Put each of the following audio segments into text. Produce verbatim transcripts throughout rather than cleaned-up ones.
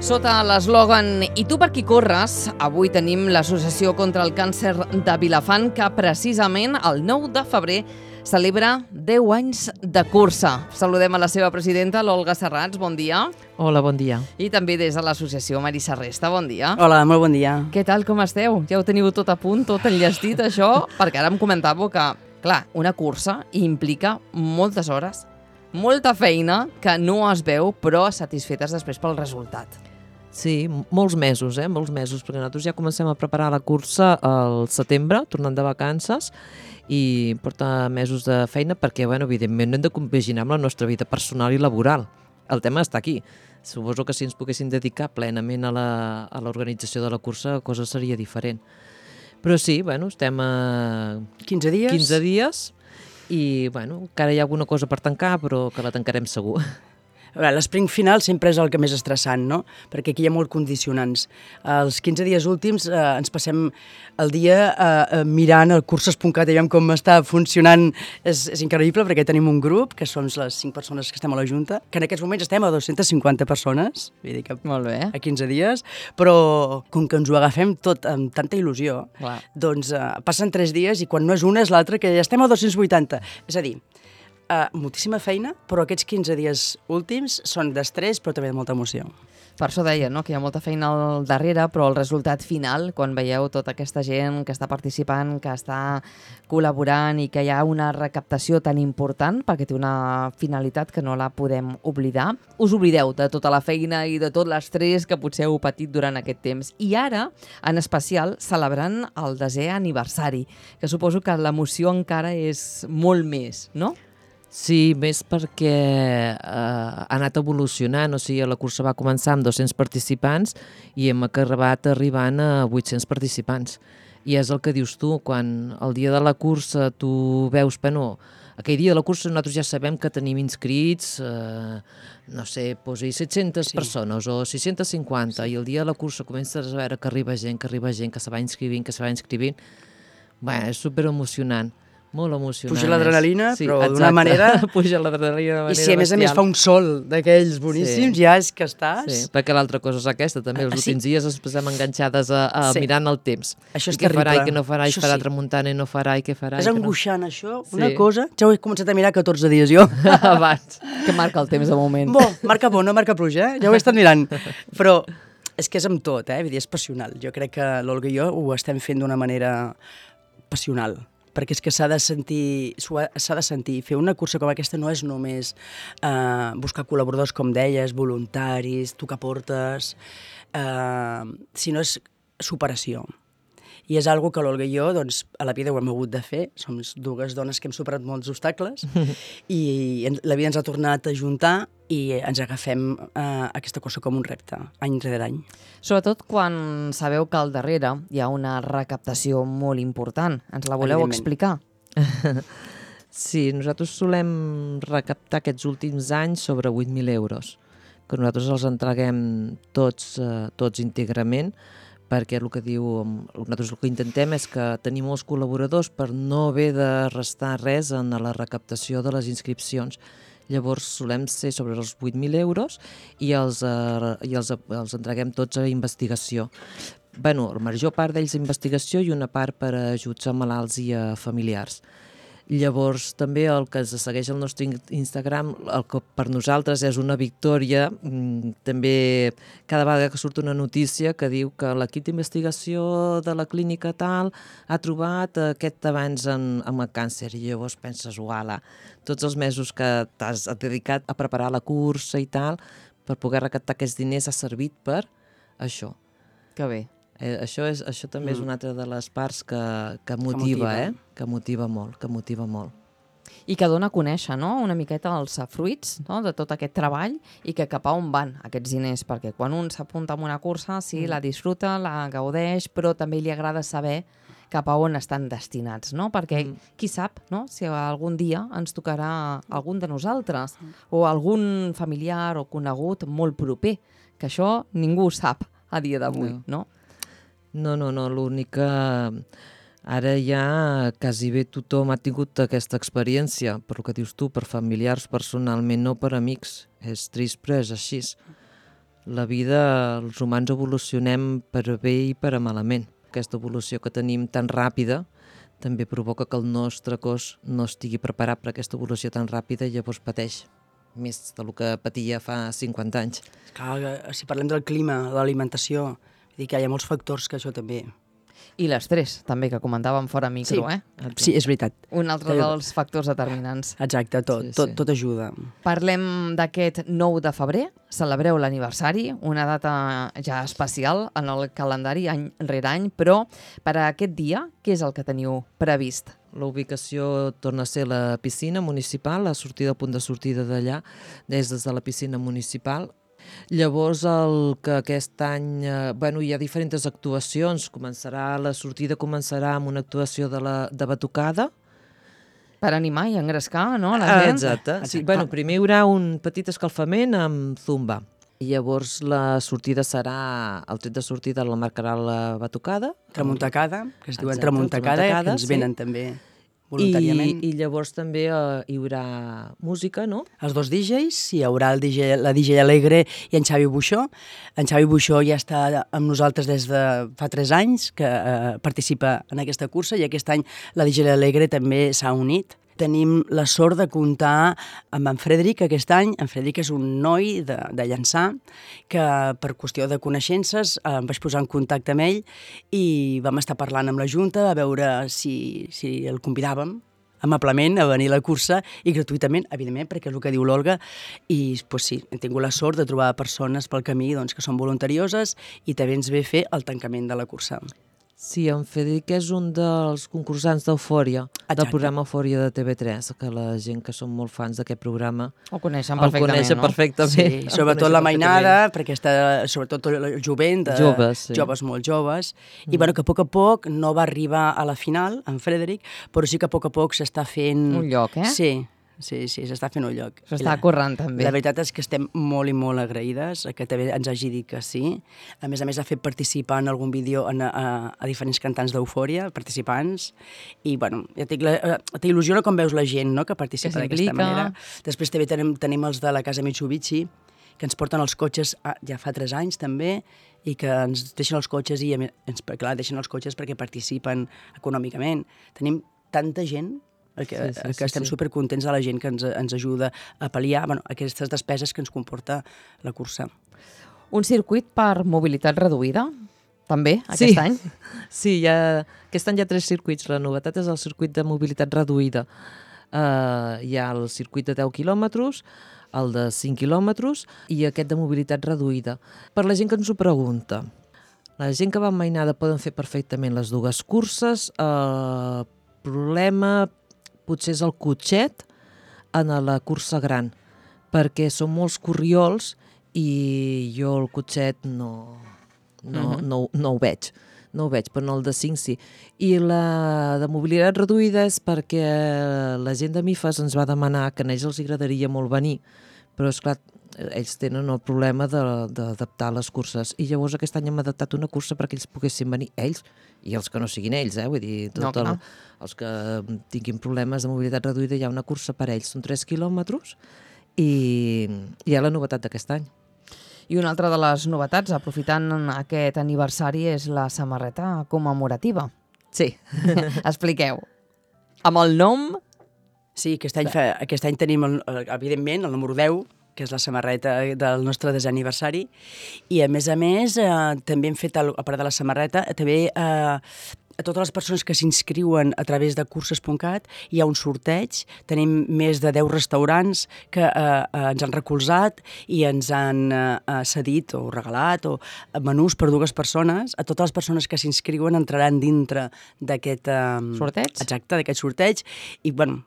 Sota l'eslògan "I tu per qui corres?", avui tenim l'Associació contra el Càncer de Vilafant, que precisament el nou de febrer celebra deu anys de cursa. Saludem a la seva presidenta, l'Olga Serrats, bon dia. Hola, bon dia. I també des de l'associació Marisa Resta, bon dia. Hola, molt bon dia. Què tal, com esteu? Ja ho teniu tot a punt, tot enllestit, això? Perquè ara em comentàveu que, clar, una cursa implica moltes hores, molta feina que no es veu, però satisfetes després pel resultat. Sí, molts mesos, eh? Molts mesos, perquè nosaltres ja comencem a preparar la cursa al setembre, tornant de vacances, i porta mesos de feina perquè, bueno, evidentment, no hem de compaginar amb la nostra vida personal i laboral. El tema està aquí. Suposo que si ens poguéssim dedicar plenament a la, a l'organització de la cursa, la cosa seria diferent. Però sí, bueno, estem a quinze dies. quinze dies i, bueno, encara hi ha alguna cosa per tancar, però que la tancarem segur. L'esprint final sempre és el que més estressant, no? Perquè aquí hi ha molt condicionants. Els quinze dies últims eh, ens passem el dia eh, mirant el curses punt cat i veiem com està funcionant. És, és increïble perquè tenim un grup, que som les cinc persones que estem a la Junta, que en aquests moments estem a dues-centes cinquanta persones, vull dir que molt bé. A quinze dies, però com que ens ho agafem tot amb tanta il·lusió, clar, doncs eh, passen tres dies i quan no és una és l'altra, que ja estem a dos-cents vuitanta. És a dir, Uh, moltíssima feina, però aquests quinze dies últims són d'estrès, però també de molta emoció. Per això deia, no?, que hi ha molta feina al darrere, però el resultat final, quan veieu tota aquesta gent que està participant, que està col·laborant i que hi ha una recaptació tan important, perquè té una finalitat que no la podem oblidar, us oblideu de tota la feina i de tot l'estrès que potser heu patit durant aquest temps. I ara, en especial, celebrant el desè aniversari, que suposo que l'emoció encara és molt més, no? Sí, més perquè eh, ha anat evolucionant, o sigui, la cursa va començar amb dos-cents participants i hem acabat arribant a vuit-cents participants. I és el que dius tu, quan el dia de la cursa tu veus, bueno, aquell dia de la cursa nosaltres ja sabem que tenim inscrits, eh, no sé, posi set-centes sí. persones o sis-centes cinquanta, sí. I el dia de la cursa comences a veure que arriba gent, que arriba gent, que se va inscrivint, que se va inscrivint. Bé, és superemocionant. Molt emocionant. Puja l'adrenalina, sí, però d'una manera... Puja l'adrenalina d'una manera I si a més a més fa un sol d'aquells boníssims, sí. ja és que estàs... Sí, perquè l'altra cosa és aquesta, també. Els ah, últims sí? dies ens posem enganxades a, a sí. mirant el temps. Això és I què terrible. farà, i què no farà, i això farà sí. tramuntana, i no farà, i què farà... És i angoixant, no... això. Una sí. cosa... Ja ho he començat a mirar catorze dies, jo. Abans. Que marca el temps de moment. Bo, marca bo, no marca pluja, eh? Ja ho he estat mirant. Però és que és amb tot, eh? Vull dir, és passional. Jo crec que l'Olga i jo ho estem fent d'una manera passional, perquè és que s'ha de sentir, s'ha de sentir. Fer una cursa com aquesta no és només eh, buscar col·laboradors, com deies, voluntaris, tocar portes, eh, sinó és superació. I és una cosa que l'Olga i jo, doncs, a la vida ho hem hagut de fer. Som dues dones que hem superat molts obstacles i la vida ens ha tornat a juntar i ens agafem eh, aquesta cosa com un repte, any rere any. Sobretot quan sabeu que al darrere hi ha una recaptació molt important. Ens la voleu explicar? Sí, nosaltres solem recaptar aquests últims anys sobre vuit mil euros, que nosaltres els entreguem tots, eh, tots íntegrament, perquè el que diu, nosaltres el que intentem és que tenir molts col·laboradors per no haver de restar res en la recaptació de les inscripcions. Llavors solem ser sobre els vuit mil euros i els, eh, i els, els entreguem tots a investigació. Bueno, la major part d'ells a investigació i una part per a ajuts a malalts i a familiars. Llavors, també el que ens segueix al nostre Instagram, el que per nosaltres és una victòria, també cada vegada que surt una notícia que diu que l'equip d'investigació de la clínica tal ha trobat aquest avanç en, amb el càncer, i llavors penses, uala, tots els mesos que t'has dedicat a preparar la cursa i tal, per poder recaptar aquests diners ha servit per això. Que bé. Eh, això, és, això també mm. és una altra de les parts que, que motiva, que motiva. eh? Que motiva molt, que motiva molt. I que dona a conèixer, no?, una miqueta els fruits, no?, de tot aquest treball i que cap a on van aquests diners, perquè quan un s'apunta a una cursa, sí, mm. la disfruta, la gaudeix, però també li agrada saber cap a on estan destinats, no? Perquè mm. qui sap, no?, si algun dia ens tocarà algun de nosaltres mm. o algun familiar o conegut molt proper, que això ningú ho sap a dia d'avui, no? no? No, no, no, l'únic que ara ja quasi bé tothom ha tingut aquesta experiència, per el que dius tu, per familiars personalment, no per amics. És trist, però és així. la vida, els humans evolucionem per a bé i per a malament. Aquesta evolució que tenim tan ràpida també provoca que el nostre cos no estigui preparat per aquesta evolució tan ràpida i llavors pateix més del que patia fa cinquanta anys. Clar, si parlem del clima, de l'alimentació, vull dir que hi ha molts factors que això també... I l'estrès, també, que comentàvem fora micro, sí. eh? Sí, és veritat. Un altre dels factors determinants. Exacte, tot, Sí, sí. tot, tot ajuda. Parlem d'aquest nou de febrer, celebreu l'aniversari, una data ja especial en el calendari any rere any, però per a aquest dia, què és el que teniu previst? La ubicació torna a ser la piscina municipal, la sortida, el punt de sortida d'allà, des de la piscina municipal. Llavors, el que aquest any, eh, bueno, hi ha diferents actuacions. Començarà, la sortida començarà amb una actuació de, la, de batucada. Per animar i engrescar, no?, la gent. Exacte. Sí, Exacte. bueno, primer hi haurà un petit escalfament amb zumba. I llavors la sortida serà, el tret de sortida la marcarà la batucada. Tramuntacada, que es diuen Exacte, tramuntacada, tramuntacada, que ens sí. venen també voluntàriament. I, i llavors també eh, hi haurà música, no? Els dos D Js, hi haurà el D J, la D J Alegre i en Xavi Buixó. En Xavi Buixó ja està amb nosaltres des de fa tres anys, que eh, participa en aquesta cursa, i aquest any la D J Alegre també s'ha unit. Tenim la sort de comptar amb en Frederic aquest any. En Frederic és un noi de, de Llançà que per qüestió de coneixences eh, em vaig posar en contacte amb ell i vam estar parlant amb la Junta a veure si, si el convidàvem amablement a venir a la cursa i gratuïtament, evidentment, perquè és el que diu l'Olga, i pues, sí, hem tingut la sort de trobar persones pel camí doncs, que són voluntarioses i també ens ve fer el tancament de la cursa. Sí, en Federic és un dels concursants d'Eufòria, del Exacte. programa Eufòria de T V tres, que la gent que són molt fans d'aquest programa Ho coneixen el perfectament, coneixen no? perfectament. Sí, El sobretot coneixen la perfectament. mainada, perquè està sobretot el jovent, de, Joves, sí. joves molt joves, i bueno, que a poc a poc no va arribar a la final, en Frederic, però sí que a poc a poc s'està fent... Un lloc, eh? Sí, sí, sí, s'està fent un lloc. S'està I la- currant, també. La veritat és que estem molt i molt agraïdes que també ens hagi dit que sí. A més a més, ha fet participar en algun vídeo en, a, a diferents cantants d'Eufòria, participants, i bueno, ja dic, la- eh, t'il·lusiona com veus la gent, no?, que participa Que d'aquesta s'implica. manera. Després també tenim, tenim els de la Casa Mitsubishi, que ens porten els cotxes ah, ja fa tres anys també, i que ens deixen els cotxes i a més, ens, clar, deixen els cotxes perquè participen econòmicament. Tenim tanta gent que, Sí, sí, que sí, estem sí. supercontents de la gent que ens, ens ajuda a pal·liar bueno, aquestes despeses que ens comporta la cursa. Un circuit per mobilitat reduïda, també, Sí. aquest any. Sí, hi ha, aquest any hi ha tres circuits. La novetat és el circuit de mobilitat reduïda. Uh, hi ha el circuit de deu quilòmetres, el de cinc quilòmetres i aquest de mobilitat reduïda. Per la gent que ens ho pregunta, la gent que va amb mainada poden fer perfectament les dues curses. El problema potser és el cotxet en la cursa gran, perquè són molts corriols i jo el cotxet no, no, Mhm. no, no ho veig. No ho veig, però no el de cinc sí. I la de mobilitat reduïda és perquè la gent de Mifes ens va demanar que a ells els agradaria molt venir, però és clar, ells tenen el problema de- d'adaptar les curses. I llavors aquest any hem adaptat una cursa perquè ells poguessin venir, ells, i els que no siguin ells, eh? Vull dir, No, tot el, clar. els que tinguin problemes de mobilitat reduïda, hi ha una cursa per ells, són tres quilòmetres, i hi ha la novetat d'aquest any. I una altra de les novetats, aprofitant aquest aniversari, és la samarreta commemorativa. Sí. Expliqueu. Amb el nom... Sí, aquest any, fa, aquest any tenim, el, el- evidentment, el número deu, que és la samarreta del nostre desaniversari, i a més a més eh, també hem fet, el, a part de la samarreta, també eh, a totes les persones que s'inscriuen a través de curses punt cat hi ha un sorteig. Tenim més de deu restaurants que eh, eh, ens han recolzat i ens han eh, eh, cedit o regalat o menús per dues persones. A totes les persones que s'inscriuen entraran dintre d'aquest... Eh, Sorteig? Exacte, d'aquest sorteig. I, bueno,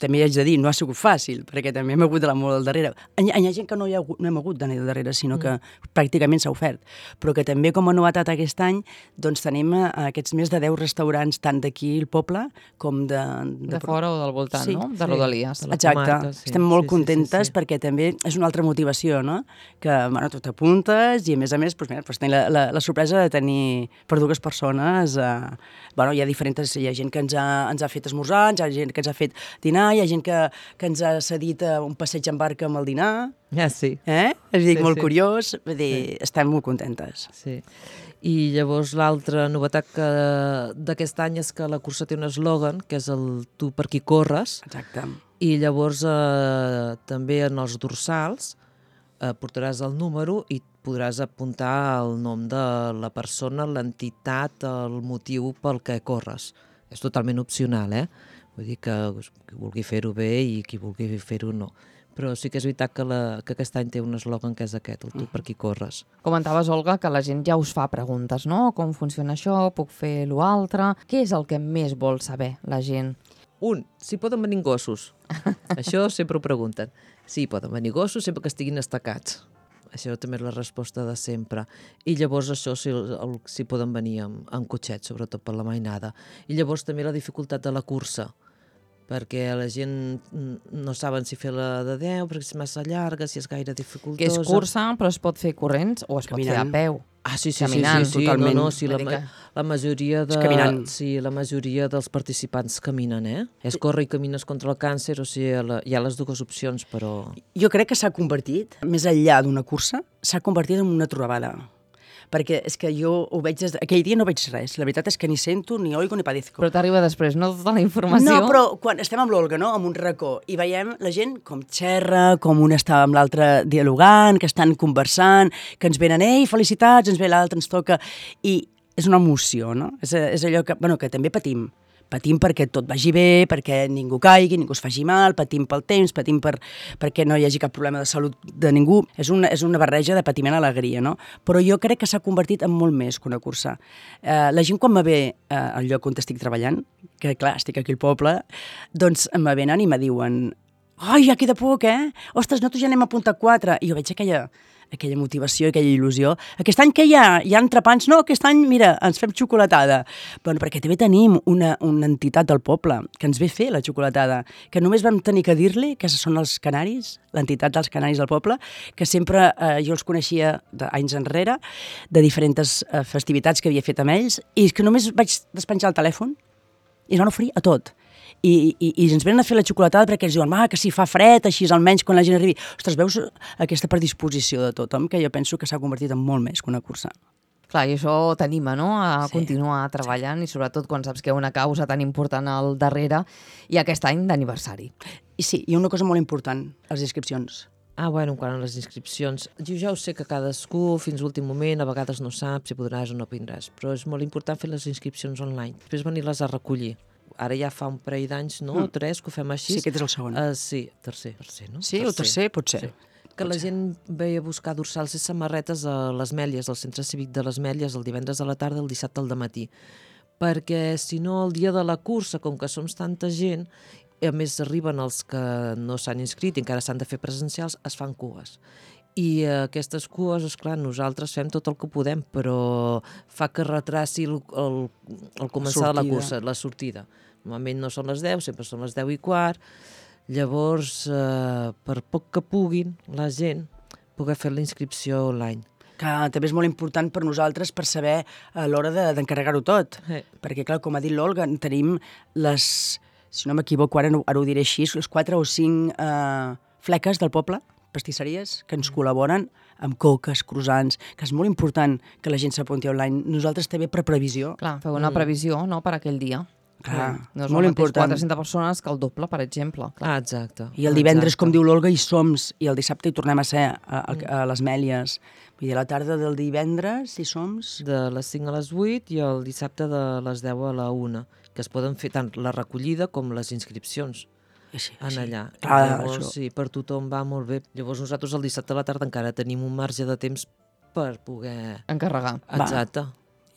també haig de dir, no ha sigut fàcil, perquè també hem hagut d'anar molt al darrere. Hi ha, hi ha gent que no, hi ha, hagut- no hem hagut d'anar al darrere, sinó que pràcticament s'ha ofert. Però que també, com a novetat aquest any, doncs tenim eh, aquests més de deu restaurants, tant d'aquí al poble com de... De fora o del voltant, Sí, no? De sí. Rodalies. De la Exacte, comarca, sí. estem molt Sí, sí, contentes sí, sí. perquè també és una altra motivació, no? Que, bueno, tu t'apuntes i a més a més, doncs, mira, doncs, tenir la, la, la sorpresa de tenir per dues persones, eh, bueno, hi ha diferents, hi ha gent que ens ha, ens ha fet esmorzar, hi ha gent que ens ha fet dinar, hi ha gent que, que ens ha cedit uh, un passeig en barca amb el dinar. Ja, sí. Eh? És dir, Sí, molt sí. curiós. Vull dir, Sí. estem molt contentes. Sí. I llavors l'altra novetat que d'aquest any és que la cursa té un eslògan, que és el tu per qui corres, Exacte. i llavors eh, també en els dorsals eh, portaràs el número i podràs apuntar el nom de la persona, l'entitat, el motiu pel que corres. És totalment opcional, eh? Vull dir que qui vulgui fer-ho bé i qui vulgui fer-ho no. Però sí que és veritat que, la, que aquest any té un eslògan que és aquest, el tu per qui corres. Comentaves, Olga, que la gent ja us fa preguntes, no? Com funciona això? Puc fer l'altre? Què és el que més vol saber la gent? Un, si poden venir gossos. Això sempre ho pregunten. Sí, poden venir gossos sempre que estiguin estacats. Això també és la resposta de sempre. I llavors això, si, el, si poden venir amb, amb cotxet, sobretot per la mainada. I llavors també la dificultat de la cursa, perquè la gent no saben si fer la de deu, perquè és massa llarga, si és gaire dificultosa. Que és cursa, però es pot fer corrents o es Caminant. pot fer a peu. Ah, sí, sí, Caminant, sí, sí, sí. totalment. No, no, sí, la, Vull dir ma que- la majoria de... És caminant. Sí, la majoria dels participants caminen, eh? És córrer i camines contra el càncer, o sigui, la, hi ha les dues opcions, però... Jo crec que s'ha convertit, més enllà d'una cursa, s'ha convertit en una trobada. Perquè és que jo ho veig des de... Aquell dia no veig res. La veritat és que ni sento, ni oigo, ni padezco. Però t'arriba després, no? Tota la informació. No, però quan estem amb l'Olga, no?, amb un racó, i veiem la gent com xerra, com un està amb l'altre dialogant, que estan conversant, que ens venen, ei, felicitats, ens ve l'altre, ens toca... I és una emoció, no? És, és allò que, bueno, que també patim. Patim perquè tot vagi bé, perquè ningú caigui, ningú es faci mal, patim pel temps, patim per, perquè no hi hagi cap problema de salut de ningú. És una, és una barreja de patiment i alegria, no? Però jo crec que s'ha convertit en molt més que una cursa. Eh, la gent quan me ve eh, al lloc on estic treballant, que clar, estic aquí al poble, doncs me venen i me diuen ai, ja queda poc, eh? Ostres, nosaltres ja n'hem apuntat quatre. I jo veig aquella, aquella motivació, aquella il·lusió. Aquest any què hi ha? Hi ha entrepans? No, aquest any, mira, ens fem xocolatada. Bueno, perquè també tenim una, una entitat del poble que ens ve fer la xocolatada, que només vam tenir que dir-li que són els canaris, l'entitat dels canaris del poble, que sempre eh, jo els coneixia d'anys enrere, de diferents eh, festivitats que havia fet amb ells, i que només vaig despenjar el telèfon i es van oferir a tot. I, i, i ens venen a fer la xocolatada perquè ens diuen ah, que si fa fred, així almenys quan la gent arribi. Ostres, veus aquesta predisposició de tothom que jo penso que s'ha convertit en molt més que una cursa. Clar, i això t'anima, no?, a Sí. continuar treballant i sobretot quan saps que hi ha una causa tan important al darrere i aquest any d'aniversari. I sí, hi ha una cosa molt important, les inscripcions. Ah, bueno, quan a les inscripcions... Jo ja ho sé que cadascú, fins a l'últim moment, a vegades no sap si podràs o no vindràs, però és molt important fer les inscripcions online. Després venir-les a recollir. Ara ja fa un parell d'anys, no? Mm. Tres, que ho fem així. Sí, aquest és el segon. Uh, sí, tercer. tercer no? Sí, el tercer pot ser. Sí. Que la gent veia buscar dorsals i samarretes a les Mèlies, al centre cívic de les Mèlies, el divendres a la tarda, el dissabte al dematí. Perquè, si no, el dia de la cursa, com que som tanta gent, i a més arriben els que no s'han inscrit i encara s'han de fer presencials, es fan cues. I eh, aquestes cues, esclar, nosaltres fem tot el que podem, però fa que retraci el, el, el començar de la Sortida. cursa, la sortida. Normalment no són les deu, sempre són les deu i quart. Llavors, eh, per poc que puguin, la gent poder fer la inscripció online. Que també és molt important per nosaltres per saber a l'hora de- d'encarregar-ho tot. Eh. Perquè, clar, com ha dit l'Olga, tenim les, si no m'equivoco, ara, no, ara ho diré així, les quatre o cinc eh, fleques del poble, pastisseries, que ens col·laboren amb coques, croissants, que és molt important que la gent s'apunti online. Nosaltres també per previsió. Clar, feu una previsió, no?, per aquell dia. Clar, no és molt el mateix important. quatre-centes persones que el doble, per exemple. Clar. Ah, exacte. I el divendres, exacte. com diu l'Olga, hi som, i el dissabte hi tornem a ser, a, a, a les Mèlies. Vull dir, a la tarda del divendres hi som... De les cinc a les vuit i el dissabte de les deu a la una, que es poden fer tant la recollida com les inscripcions. Sí, En sí. allà. Clar, Llavors, això. sí, per tothom va molt bé. Llavors nosaltres el dissabte a la tarda encara tenim un marge de temps per poder... Encarregar Exacte.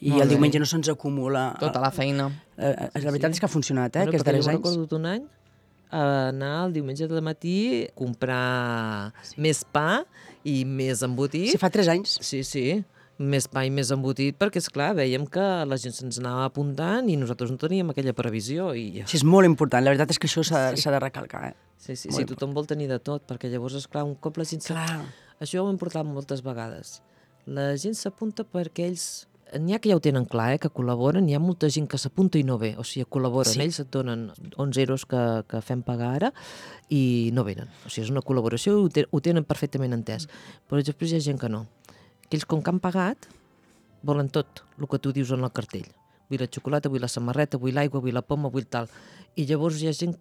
I Molt el bé. diumenge no se'ns acumula... tota la feina. Eh, eh, la veritat sí. és que ha funcionat, eh, Bueno, aquests perquè darrers jo anys. recordo un any a anar el diumenge de matí a comprar sí. més pa i més embotit. Sí, fa tres anys. Sí, sí, més pa i més embotit, perquè, és clar veiem que la gent se'ns anava apuntant i nosaltres no teníem aquella previsió. I... Sí, és molt important. La veritat és que això s'ha Sí. s'ha de recalcar. Eh? Sí, sí, Molt sí, tothom vol tenir de tot, perquè llavors, esclar, un cop la gent... s'ha- Clar. Això ho hem portat moltes vegades. La gent s'apunta perquè ells n'hi ha que ja ho tenen clar, eh, que col·laboren, n'hi ha molta gent que s'apunta i no ve, o sigui, col·laboren, Sí. ells et donen onze euros que, que fem pagar ara i no venen, o sigui, és una col·laboració i ho, te, ho tenen perfectament entès, però després hi ha gent que no. Aquells com que han pagat volen tot el que tu dius en el cartell. Vull la xocolata, vull la samarreta, vull l'aigua, vull la poma, vull tal. I llavors hi ha gent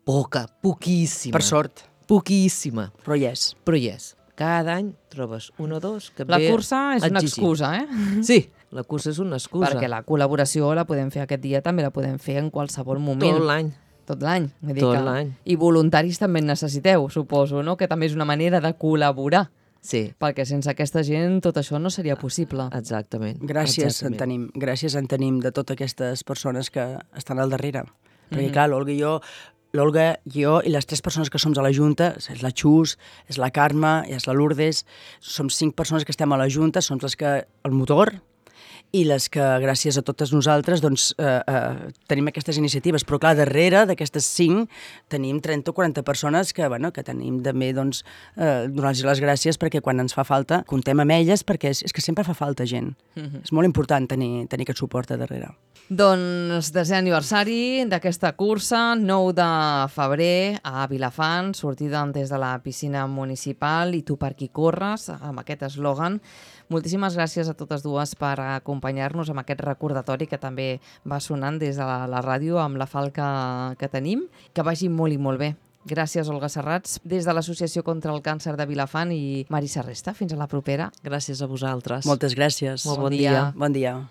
poca, poquíssima. Per sort, Poquíssima, però hi és. però hi és. Cada any trobes un o dos que La ve cursa és una exigir. excusa, eh? Sí, la cursa és una excusa. Perquè la col·laboració la podem fer aquest dia, també la podem fer en qualsevol moment. Tot l'any. Tot l'any. Vull dir Tot que- l'any. I voluntaris també en necessiteu, suposo, no? Que també és una manera de col·laborar, Sí, perquè sense aquesta gent tot això no seria possible. exactament. Gràcies exactament. en tenim, gràcies en tenim de totes aquestes persones que estan al darrere. Perquè, Mhm. clar, l'Olga i jo, l'Olga, jo i les tres persones que som a la Junta, és la Xus, és la Carme i és la Lourdes, som cinc persones que estem a la Junta, som les que, el motor, i les que, gràcies a totes nosaltres, doncs, eh, eh, tenim aquestes iniciatives. Però, clar, darrere d'aquestes cinc tenim trenta o quaranta persones que, bueno, que tenim també, doncs, eh, donar-los les gràcies perquè quan ens fa falta, comptem amb elles, perquè és, és que sempre fa falta gent. Mhm. És molt important tenir, tenir aquest suport a darrere. Doncs desè aniversari d'aquesta cursa, nou de febrer a Vilafant, sortida des de la piscina municipal i tu per qui corres, amb aquest eslògan. Moltíssimes gràcies a totes dues per acompanyar-nos amb aquest recordatori que també va sonant des de la, la ràdio amb la falca que tenim. Que vagi molt i molt bé. Gràcies, Olga Serrats, des de l'Associació contra el Càncer de Vilafant i Marisa Resta. Fins a la propera. Gràcies a vosaltres. Moltes gràcies. Molt Bon bon dia. dia. Bon dia.